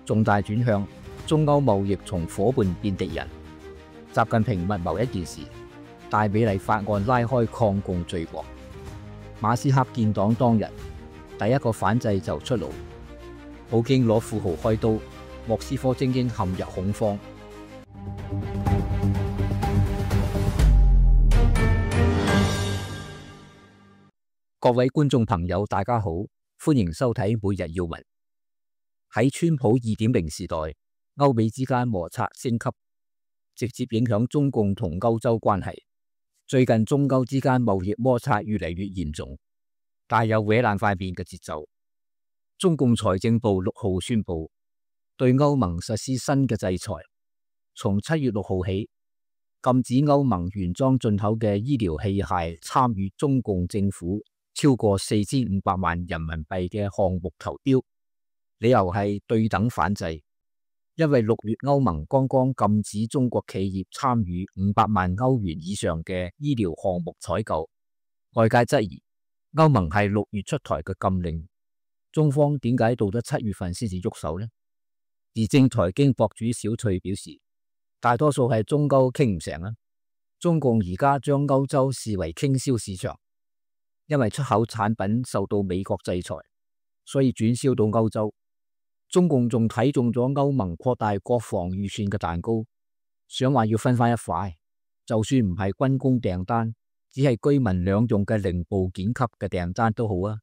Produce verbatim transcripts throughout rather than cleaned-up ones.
重大轉向，中歐貿易從伙伴變敵人。習近平密謀一件事，大美麗法案拉開抗共序幕。馬斯克建黨當日，第一個反制就出爐。普京攞富豪開刀，莫斯科精英陷入恐慌。各位觀眾朋友，大家好，歡迎收睇每日要聞。喺川普二點零時代，歐美之間摩擦升級，直接影響中共同歐洲關係。最近中歐之間貿易摩擦越嚟越嚴重，帶有搲爛塊面嘅節奏。中共財政部六號宣布對歐盟實施新嘅制裁，從七月六號起，禁止歐盟原裝進口嘅醫療器械參與中共政府超過四千五百萬人民幣嘅項目投標，理由係對等反制。因為六月歐盟剛剛禁止中國企業參與五百萬歐元以上嘅醫療項目採購，外界質疑歐盟係六月出台嘅禁令，中方點解到咗七月份先至喐手呢？時政財經博主小翠表示，大多數係中歐傾唔成啊！中共而家將歐洲視為傾銷市場。因為出口產品受到美國制裁，所以轉銷到歐洲。中共仲睇中咗歐盟擴大國防預算嘅蛋糕，想話要分翻一塊，就算唔係軍工訂單，只係居民兩用嘅零部件級嘅訂單都好啊。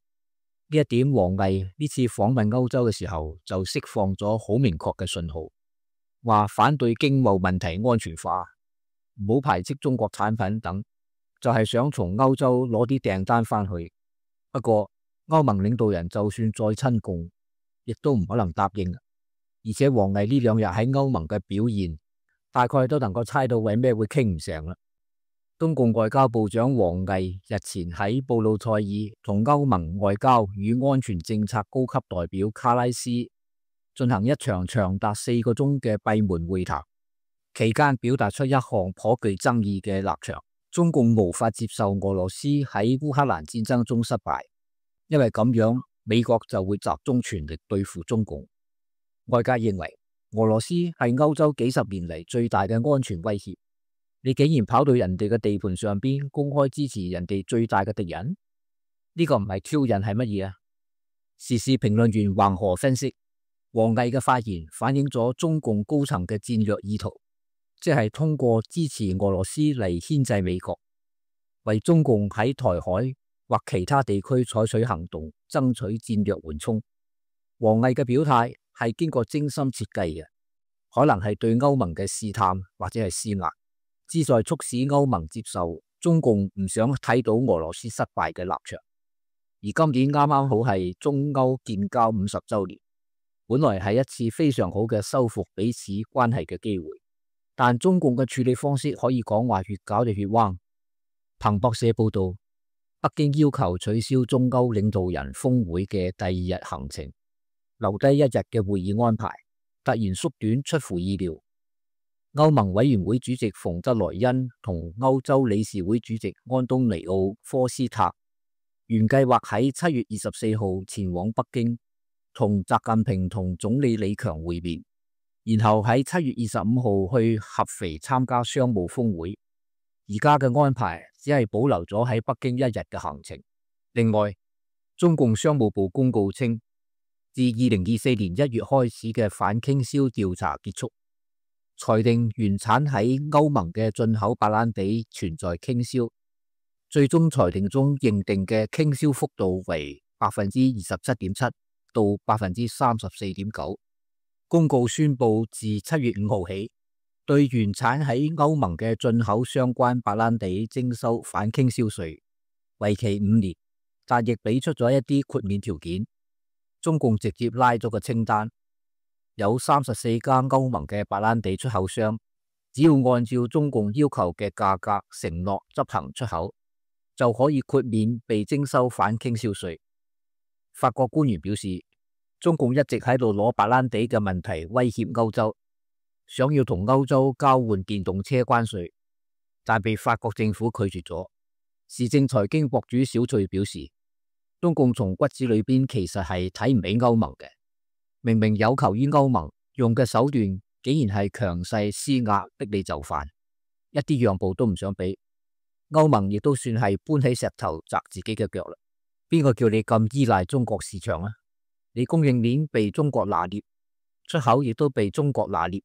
呢一點王毅呢次訪問歐洲嘅時候就釋放咗好明確嘅信號，話反對經貿問題安全化，唔好排斥中國產品等。就係想從歐洲攞啲訂單翻去，不過歐盟領導人就算再親共，亦都唔可能答應。而且王毅呢兩日喺歐盟嘅表現，大概都能夠猜到為咩會傾唔成啦。中共外交部長王毅日前喺布魯塞爾同歐盟外交與安全政策高級代表卡拉斯進行一場長達四個鐘嘅閉門會談，期間表達出一項頗具爭議嘅立場。中共無法接受俄羅斯喺烏克蘭戰爭中失敗，因為咁樣美國就會集中全力對付中共。外界認為俄羅斯係歐洲幾十年嚟最大嘅安全威脅，你竟然跑到人哋嘅地盤上邊公開支持人哋最大嘅敵人，呢個唔係挑釁係乜嘢啊？時事評論員橫河分析，王毅嘅發言反映咗中共高層嘅戰略意圖。即係通過支持俄羅斯嚟牽制美國，為中共喺台海或其他地區採取行動，爭取戰略緩衝。王毅嘅表態係經過精心設計嘅，可能係對歐盟嘅試探或者係施壓，旨在促使歐盟接受中共唔想睇到俄羅斯失敗嘅立場。而今年啱啱好係中歐建交五十週年，本來係一次非常好嘅修復彼此關係嘅機會。但中共嘅處理方式可以講話越搞就越彎。彭博社報道，北京要求取消中歐領導人峰會嘅第二日行程，留低一日嘅會議安排，突然縮短出乎意料。歐盟委員會主席馮德萊恩同歐洲理事會主席安東尼奧科斯塔原計劃喺七月二十四號前往北京，同習近平同總理李強會面。然後喺七月二十五號去合肥參加商務峰會，而家嘅安排只係保留咗喺北京一日嘅行程。另外，中共商務部公告稱，自二零二四年一月開始嘅反傾銷調查結束，裁定原產喺歐盟嘅進口白蘭地存在傾銷，最終裁定中認定嘅傾銷幅度為百分之二十七點七到百分之三十四點九。公告宣布，自七月五號起，對原產喺歐盟嘅進口相關白蘭地徵收反傾銷稅，為期五年，但亦俾出咗一啲豁免條件。中共直接拉咗個清單，有三十四家歐盟嘅白蘭地出口商，只要按照中共要求嘅價格承諾執行出口，就可以豁免被徵收反傾銷稅。法國官員表示，中共一直喺度攞白蘭地嘅問題威脅歐洲，想要同歐洲交換電動車關稅，但被法國政府拒絕咗。時政財經博主小翠表示，中共從骨子裏邊其實係睇唔起歐盟嘅，明明有求於歐盟，用嘅手段竟然係強勢施壓，逼你就範，一啲讓步都唔想俾。歐盟亦都算係搬起石頭砸自己嘅腳啦。邊個叫你咁依賴中國市場啊？你供應鏈被中國拿捏，出口亦都被中國拿捏，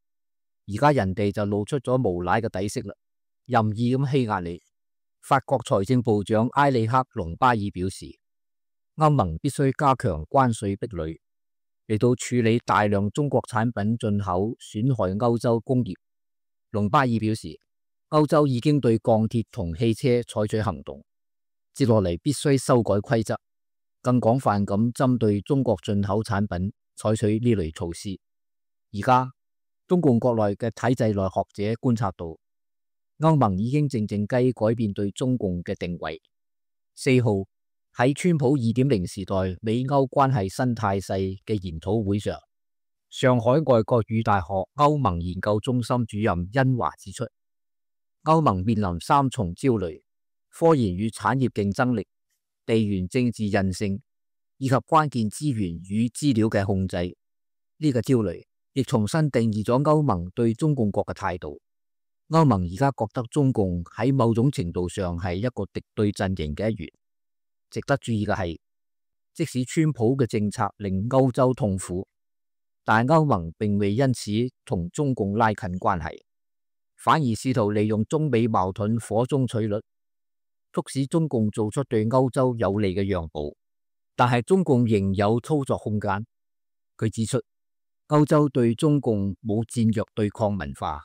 而家人哋就露出咗無賴嘅底色啦，任意咁欺壓你。法國財政部長埃里克隆巴爾表示，歐盟必須加強關稅壁壘，嚟到處理大量中國產品進口損害歐洲工業。隆巴爾表示，歐洲已經對鋼鐵同汽車採取行動，接落嚟必須修改規則，更廣泛咁針對中國進口產品採取呢類措施。而家中共國內嘅體制內學者觀察到，歐盟已經靜靜雞改變對中共嘅定位。四號喺川普二點零時代美歐關係新態勢嘅研討會上，上海外國語大學歐盟研究中心主任殷華指出，歐盟面臨三重焦慮：科研與產業競爭力、地緣政治韌性以及關鍵資源與資料嘅控制。呢個焦慮亦重新定義咗歐盟對中共國嘅態度。歐盟而家覺得中共喺某種程度上係一個敵對陣營嘅一員。值得注意嘅係，即使川普嘅政策令歐洲痛苦，但歐盟並未因此同中共拉近關係，反而試圖利用中美矛盾火中取栗，促使中共做出對歐洲有利嘅讓步。但係中共仍有操作空間。佢指出，歐洲對中共冇戰略對抗文化，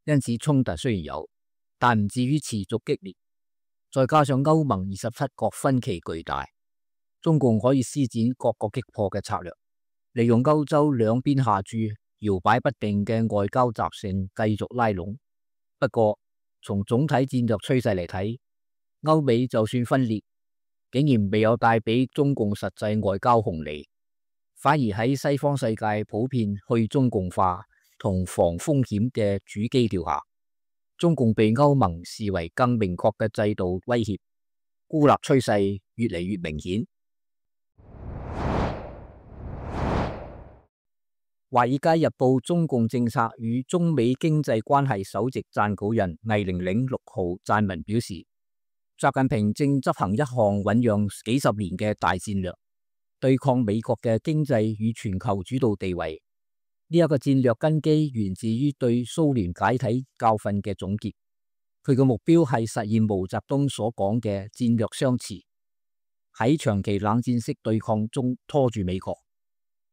因此衝突雖然有，但唔至於持續激烈。再加上歐盟二十七國分歧巨大，中共可以施展各個擊破嘅策略，利用歐洲兩邊下注、搖擺不定嘅外交習性繼續拉攏。不過，從總體戰略趨勢嚟睇，歐美就算分裂，竟然未有帶俾中共實際外交紅利，反而喺西方世界普遍去中共化同防風險嘅主基調下，中共被歐盟視為更明確嘅制度威脅，孤立趨勢越嚟越明顯。《華爾街日報》中共政策與中美經濟關係首席撰稿人魏玲玲六號撰文表示，習近平正執行一項醞釀幾十年嘅大戰略，對抗美國嘅經濟與全球主導地位。呢一個戰略根基源自於對蘇聯解體教訓嘅總結，佢嘅目標係實現毛澤東所講嘅戰略相持，喺長期冷戰式對抗中拖住美國，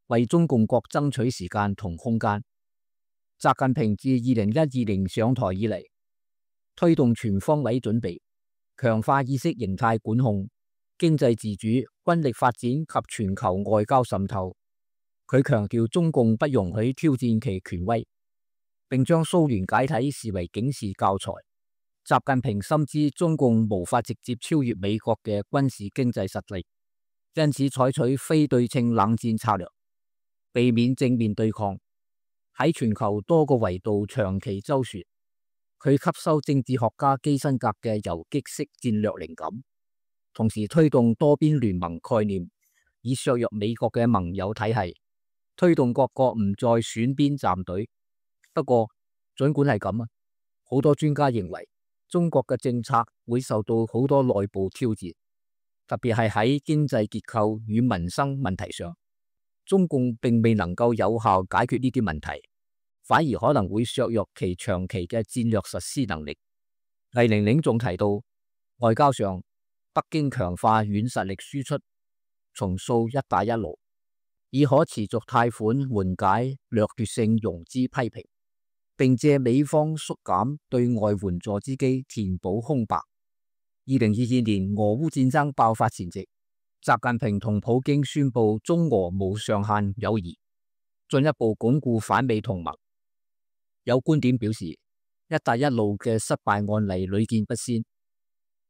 為中共國爭取時間同空間。習近平自二零一二年上台以嚟，推動全方位準備，強化意識形態管控、經濟自主、軍力發展及全球外交滲透。佢強調中共不容許挑戰其權威，並將蘇聯解體視為警示教材。習近平深知中共無法直接超越美國嘅軍事經濟實力，因此採取非對稱冷戰策略，避免正面對抗，喺全球多個維度長期周旋。佢吸收政治學家基辛格嘅游擊式戰略靈感，同時推動多邊聯盟概念，以削弱美國嘅盟友體系，推動各國唔再選邊站隊。不過，儘管係咁啊，好多專家認為中國嘅政策會受到好多內部挑戰，特別係喺經濟結構與民生問題上，中共並未能夠有效解決呢啲問題，反而可能會削弱其長期嘅戰略實施能力。魏玲玲仲提到，外交上北京強化軟實力輸出，重塑一帶一路，以可持續貸款緩解掠奪性融資批評，並借美方縮減對外援助之機填補空白。二零二二年俄烏戰爭爆發前夕，習近平同普京宣布中俄無上限友誼，進一步鞏固反美同盟。有觀點表示，一帶一路嘅失敗案例屢見不鮮，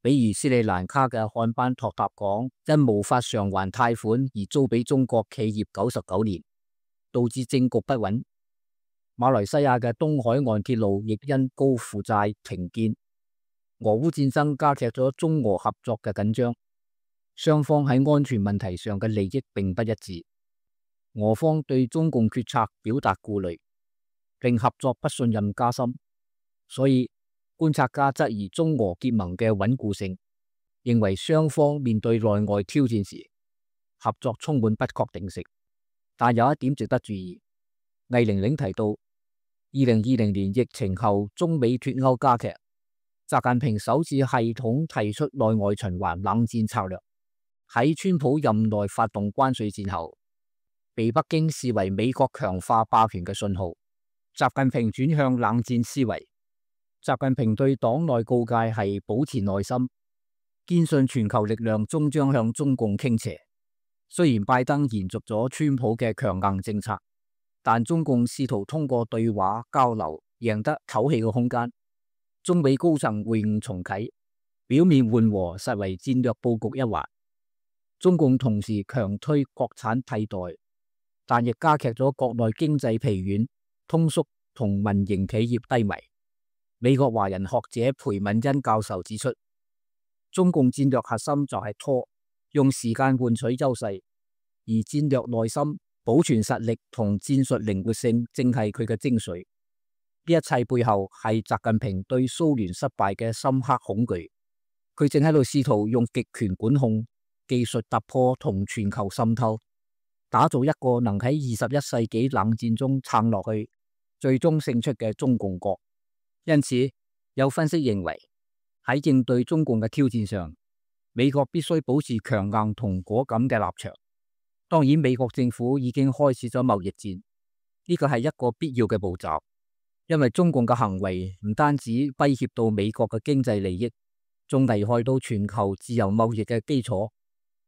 比如斯里蘭卡嘅漢班托塔港因無法償還貸款而租俾中國企業九十九年，導致政局不穩。馬來西亞嘅東海岸鐵路亦因高負債停建。俄烏戰爭加劇咗中俄合作嘅緊張，雙方喺安全問題上嘅利益並不一致。俄方對中共決策表達顧慮，令合作不信任加深。所以觀察家質疑中俄結盟嘅穩固性，認為雙方面對內外挑戰時，合作充滿不確定性。但有一點值得注意，魏玲玲提到，二零二零年疫情後中美脫歐加劇，習近平首次系統提出內外循環冷戰策略，喺川普任內發動關稅戰後，被北京視為美國強化霸權嘅信號。習近平轉向冷戰思維。習近平對黨內告誡係保持耐心，堅信全球力量終將向中共傾斜。雖然拜登延續咗川普嘅強硬政策，但中共試圖通過對話交流贏得唞氣嘅空間。中美高層會晤重啟，表面緩和，實為戰略布局一環。中共同時強推國產替代，但亦加劇咗國內經濟疲軟、通縮同民營企業低迷。美國華人學者裴敏恩教授指出，中共戰略核心就係拖，用時間換取優勢，而戰略耐心、保存實力同戰術靈活性正係佢嘅精髓。呢一切背後係習近平對蘇聯失敗嘅深刻恐懼，佢正喺度試圖用極權管控、技術突破同全球滲透，打造一個能喺二十一世紀冷戰中撐落去、最終勝出嘅中共國。因此，有分析認為，喺應對中共嘅挑戰上，美國必須保持強硬同果敢嘅立場。當然，美國政府已經開始咗貿易戰，呢個係一個必要嘅步驟，因為中共嘅行為唔單止威脅到美國嘅經濟利益，仲危害到全球自由貿易嘅基礎。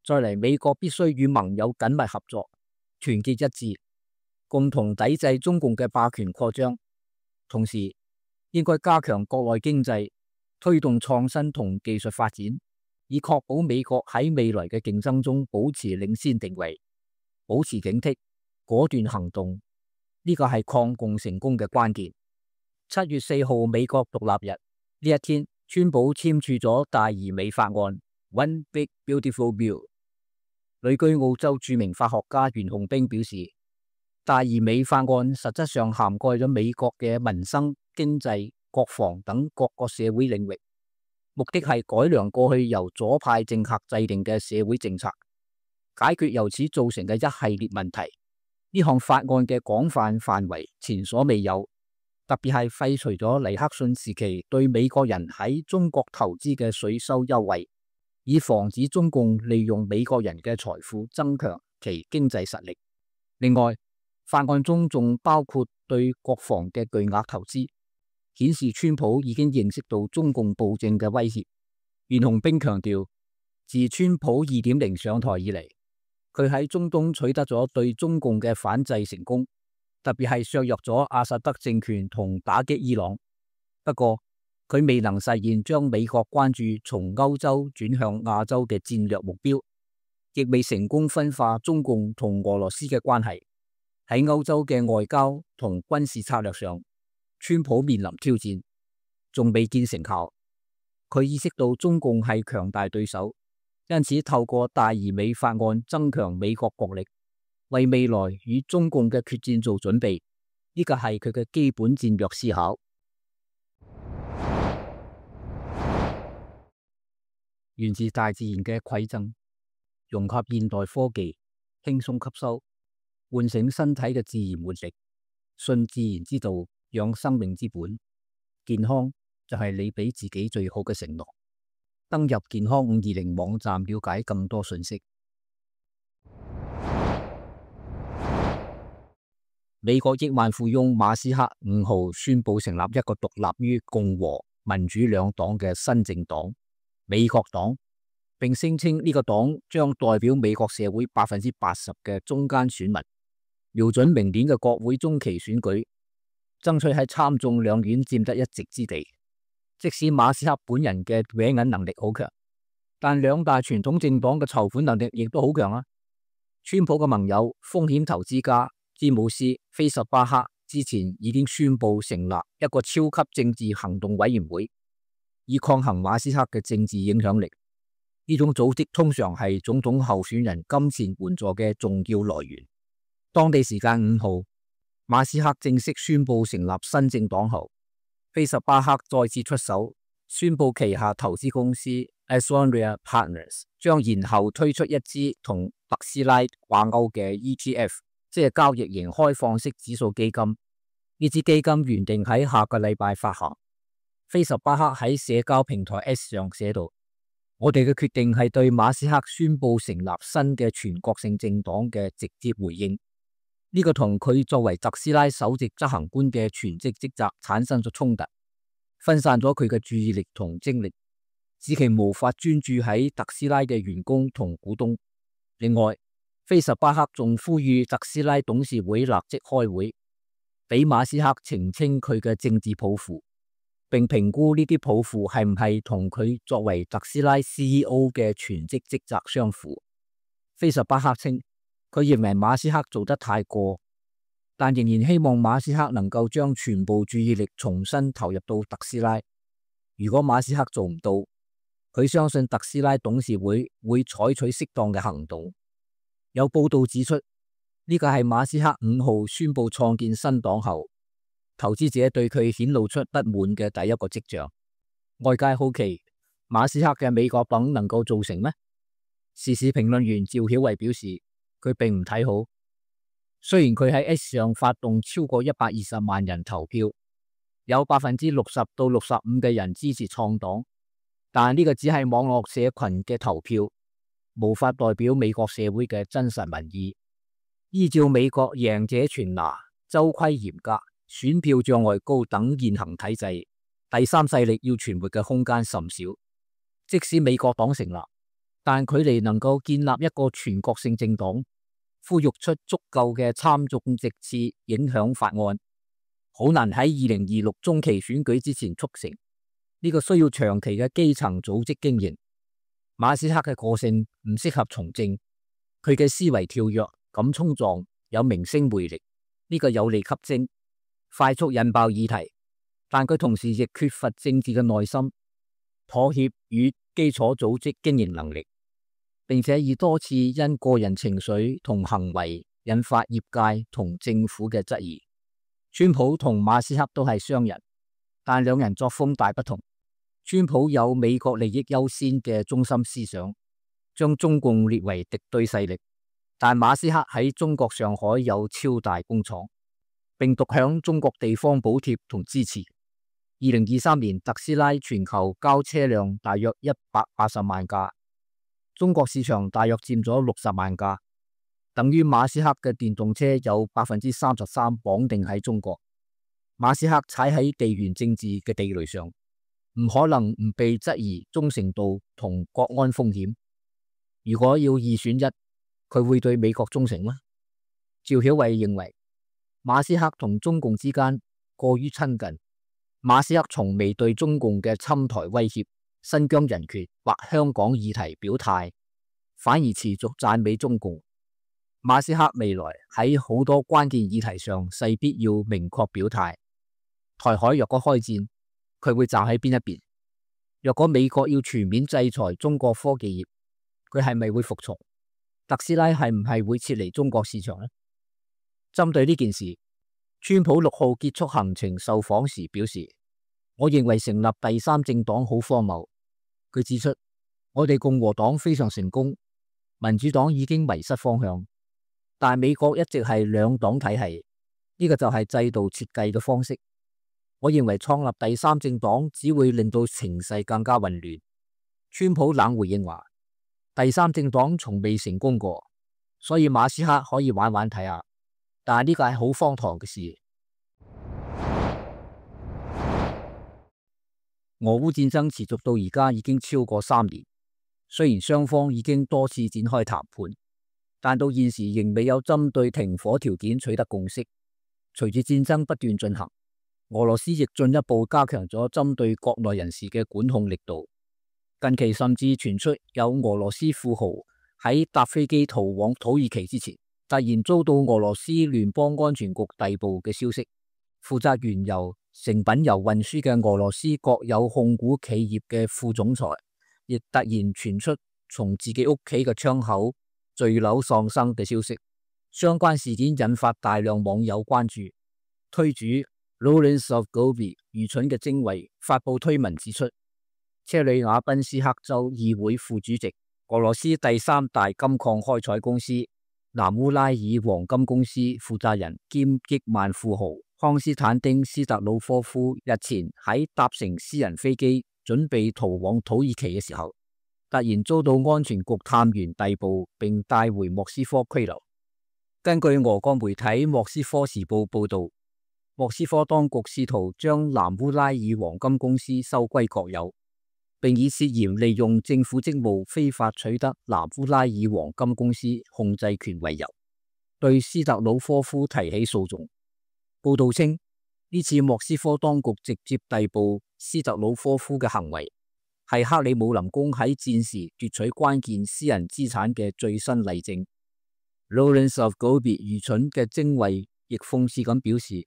再嚟，美國必須與盟友緊密合作，團結一致，共同抵制中共嘅霸權擴張。同時，應該加強國內經濟，推動創新同技術發展，以確保美國喺未來嘅競爭中保持領先定位。保持警惕，果斷行動，呢個係抗共成功嘅關鍵。七月四號美國獨立日呢一天，川普簽署咗大而美法案 One Big Beautiful Bill。旅居澳洲著名法學家袁洪兵表示，大而美法案實質上涵蓋咗美國嘅民生、經濟、國防等各個社會領域，目的係改良過去由左派政客制定嘅社會政策，解決由此造成嘅一系列問題。呢項法案嘅廣泛範圍前所未有，特別係廢除咗尼克遜時期對美國人喺中國投資嘅稅收優惠，以防止中共利用美國人嘅財富增強其經濟實力。另外，法案中仲包括對國防嘅巨額投資，顯示川普已經認識到中共暴政嘅威脅。袁洪兵強調，自川普二點零上台以嚟，佢喺中東取得咗對中共嘅反制成功，特別係削弱咗阿薩德政權同打擊伊朗。不過，佢未能實現將美國關注從歐洲轉向亞洲嘅戰略目標，亦未成功分化中共同俄羅斯嘅關係。喺歐洲嘅外交同軍事策略上，川普面臨挑戰，仲未見成效。佢意識到中共係強大對手，因此透過大而美法案增強美國國力，為未來與中共嘅決戰做準備。呢個係佢嘅基本戰略思考。源自大自然嘅饋贈，融合現代科技，輕鬆吸收，喚醒身體嘅自然活力，信自然之道，養生命之本。健康就係你俾自己最好嘅承諾。登入健康五二零網站了解更多信息。美國億萬富翁馬斯克五號宣布成立一個獨立於共和、民主兩黨嘅新政黨——美國黨，並聲稱呢個黨將代表美國社會百分之八十嘅中間選民，瞄準明年嘅國會中期選舉，爭取喺參眾兩院佔得一席之地。即使馬斯克本人嘅搲銀能力好強，但兩大傳統政黨嘅籌款能力亦都好強啊！川普嘅盟友風險投資家詹姆斯·菲什巴克之前已經宣布成立一個超級政治行動委員會，以抗衡馬斯克嘅政治影響力。呢種組織通常係總統候選人金錢援助嘅重要來源。當地時間五號，馬斯克正式宣布成立新政黨後，費什巴克再次出手，宣布旗下投資公司 Asoria Partners 將延後推出一支同特斯拉掛鈎嘅 E T F， 即係交易型開放式指數基金。呢支基金原定喺下個禮拜發行。費什巴克喺社交平台 X 上寫道：我哋嘅決定係對馬斯克宣布成立新嘅全國性政黨嘅直接回應。呢個同佢作為特斯拉首席執行官嘅全職職責產生咗衝突，分散咗佢嘅注意力同精力，使其無法專注喺特斯拉嘅員工同股東。另外，費什巴克仲呼籲特斯拉董事會立即開會，俾馬斯克澄清佢嘅政治抱負，並評估呢啲抱負係唔係同佢作為特斯拉 C E O 嘅全職職責相符。費什巴克稱，佢認為馬斯克做得太過，但仍然希望馬斯克能夠將全部注意力重新投入到特斯拉。如果馬斯克做唔到，佢相信特斯拉董事會會採取適當嘅行動。有報道指出，呢個係馬斯克五號宣布創建新黨後，投資者對佢顯露出不滿嘅第一個跡象。外界好奇馬斯克嘅美國黨能夠做成咩？時事評論員趙曉慧表示，佢並唔睇好。雖然佢喺 X 上發動超過一百二十萬人投票，有百分之六十到六十五嘅人支持創黨，但呢個只係網絡社群嘅投票，無法代表美國社會嘅真實民意。依照美國贏者全拿、州規嚴格、選票障礙高等現行體制，第三勢力要存活嘅空間甚少。即使美國黨成立，但距離能夠建立一個全國性政黨，呼籲出足夠嘅參眾席次影響法案，好難喺二零二六中期選舉之前促成。呢、這個需要長期嘅基層組織經營。馬斯克嘅個性唔適合從政，佢嘅思維跳躍、敢衝撞，有明星魅力，呢、這個有利吸睛，快速引爆議題。但佢同時亦缺乏政治嘅耐心、妥協與基礎組織經營能力，並且已多次因個人情緒同行為引發業界同政府嘅質疑。川普同馬斯克都係商人，但兩人作風大不同。川普有美國利益優先嘅中心思想，將中共列為敵對勢力，但馬斯克喺中國上海有超大工廠，並獨享中國地方補貼同支持。二零二三年特斯拉全球交車輛大約一百八十萬架，中國市場大約佔咗六十萬架，等於馬斯克嘅電動車有百分之三十三綁定喺中國。馬斯克踩喺地緣政治嘅地雷上，唔可能唔被質疑忠誠度同國安風險。如果要二選一，佢會對美國忠誠嗎？趙曉慧認為，馬斯克同中共之間過於親近。馬斯克從未對中共嘅侵台威脅、新疆人權或香港議題表態，反而持續讚美中共。馬斯克未來喺好多關鍵議題上勢必要明確表態。台海若果開戰，佢會站喺邊一邊？若果美國要全面制裁中國科技業，佢係咪會服從？特斯拉係唔係會撤離中國市場呢？針對呢件事，川普六號結束行程受訪時表示，我認為成立第三政黨好荒謬。佢指出，我哋共和黨非常成功，民主黨已經迷失方向，但美國一直係兩黨體系，呢個就係制度設計嘅方式。我認為創立第三政黨只會令到情勢更加混亂。川普冷回應話，第三政黨從未成功過，所以馬斯克可以玩玩睇下。但係呢個係好荒唐嘅事。俄烏戰爭持續到而家已經超過三年，雖然雙方已經多次展開談判，但到現時仍未有針對停火條件取得共識。隨住戰爭不斷進行，俄羅斯亦進一步加強咗針對國內人士嘅管控力度。近期甚至傳出有俄羅斯富豪喺搭飛機逃往土耳其之前，突然遭到俄羅斯聯邦安全局逮捕嘅消息。負責原油、成品油運輸嘅俄羅斯國有控股企業嘅副總裁，亦突然傳出從自己屋企嘅窗口墜樓喪生嘅消息。相關事件引發大量網友關注。推主 Lawrence of Gobi 愚蠢嘅精衛發布推文指出，車里亞賓斯克州議會副主席、俄羅斯第三大金礦開採公司南烏拉爾黃金公司負責人兼億萬富豪康斯坦丁斯特魯科夫日前喺搭乘私人飛機準備逃往土耳其嘅時候，突然遭到安全局探員逮捕並帶回莫斯科拘留。根據俄國媒體莫斯科時報報道，莫斯科當局試圖將南烏拉爾黃金公司收歸國有，並以涉嫌利用政府職務非法取得南烏拉爾黃金公司控制權為由，對斯特魯科夫提起訴訟。報道稱，呢次莫斯科當局直接逮捕斯特魯科夫嘅行為，係克里姆林宮喺戰時奪取關鍵私人資產嘅最新例證。Lawrence of Gobi 愚蠢嘅精衛亦諷刺咁表示，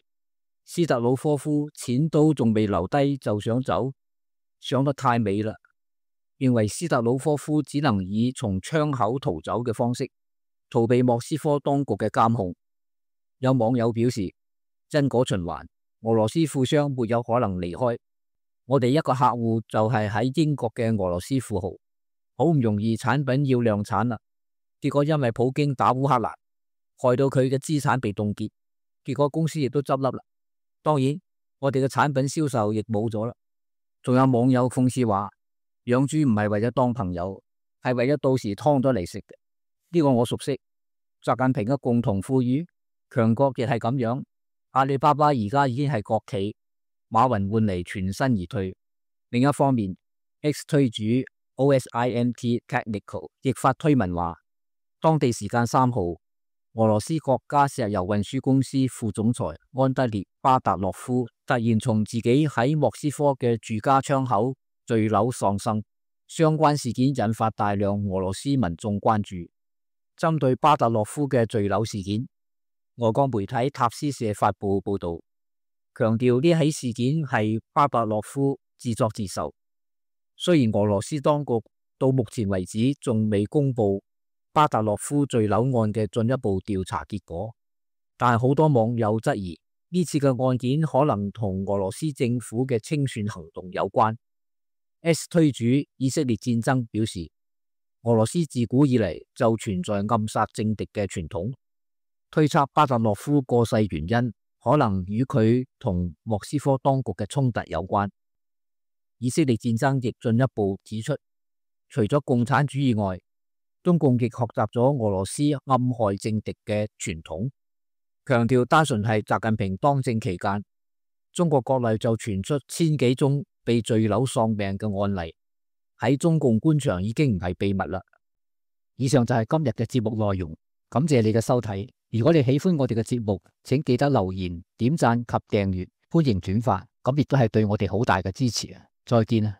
斯特魯科夫錢都仲未留低就想走，想得太美啦！認為斯特魯科夫只能以從窗口逃走嘅方式逃避莫斯科當局嘅監控。有網友表示，因果循環，俄羅斯富商沒有可能離開。我哋一個客戶就係喺英國嘅俄羅斯富豪，好唔容易產品要量產啦，結果因為普京打烏克蘭，害到佢嘅資產被凍結，結果公司亦都執笠啦。當然，我哋嘅產品銷售亦冇咗啦。仲有網友諷刺話，養豬唔係為咗當朋友，係為咗到時劏咗嚟食嘅。呢個我熟悉。習近平嘅共同富裕，強國亦係咁樣。阿里巴巴而家已經係國企，馬雲換嚟全身而退。另一方面 ，X 推主 O S I N T Technical 亦發推文話，當地時間三號，俄羅斯國家石油運輸公司副總裁安德烈巴達洛夫突然從自己喺莫斯科嘅住家窗口墜樓喪生，相關事件引發大量俄羅斯民眾關注。針對巴達洛夫嘅墜樓事件，俄國媒體塔斯社發布報道，強調呢起事件係巴達洛夫自作自受。雖然俄羅斯當局到目前為止仲未公布巴達洛夫墜樓案嘅進一步調查結果，但係好多網友質疑呢次嘅案件可能同俄羅斯政府嘅清算行動有關。S 推主以色列戰爭表示，俄羅斯自古以嚟就存在暗殺政敵嘅傳統，推測巴達洛夫過世原因可能與佢同莫斯科當局嘅衝突有關。以色列戰爭亦進一步指出，除咗共產主義外，中共亦學習咗俄羅斯暗害政敵嘅傳統，強調單純係習近平當政期間，中國國內就傳出千幾宗被墜樓喪命嘅案例，喺中共官場已經唔係秘密啦。以上就係今日嘅節目內容，感謝你嘅收睇。如果你喜歡我哋嘅節目，請記得留言、點讚及訂閱，歡迎轉發，咁亦都係對我哋好大嘅支持啊！再見啊！